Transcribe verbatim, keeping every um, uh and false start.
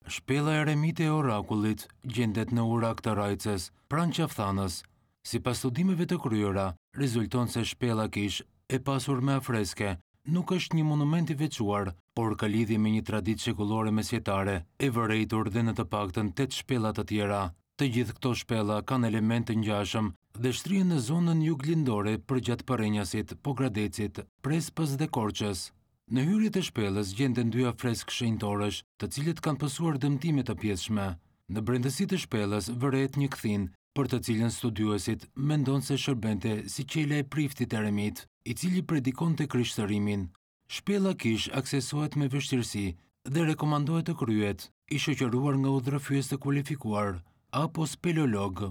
Shpella eremite e Orakullit gjendet në Urak të Rajcës, pranë Qafthanës. Sipas studimeve të kryera, rezulton se shpella kishë, e pasur me afreske, nuk është një monument i veçuar, por ka lidhje me një traditë shekullore mesjetare, e vërejtur dhe në të paktën tetë shpella të tjera. Të gjithë këto shpella kanë elementë të ngjashëm dhe shtrihen në zonën juglindore përgjatë Përrenjasit, Pogradecit, Prespës dhe Korçës. Në hyrje të shpellës gjenden dy afresk shenjtorësh, të cilët kanë pësuar dëmtime të pjesshme. Në brendësi të shpellës vërehet një kthinë, për të cilën studiuesit mendon se shërbente si qela e priftit eremit, i cili predikonte krishtërimin. Shpella kishë aksesohet me vështirësi dhe rekomandohet të kryhet i shoqëruar nga udhërrëfyes të kualifikuar apo speleolog.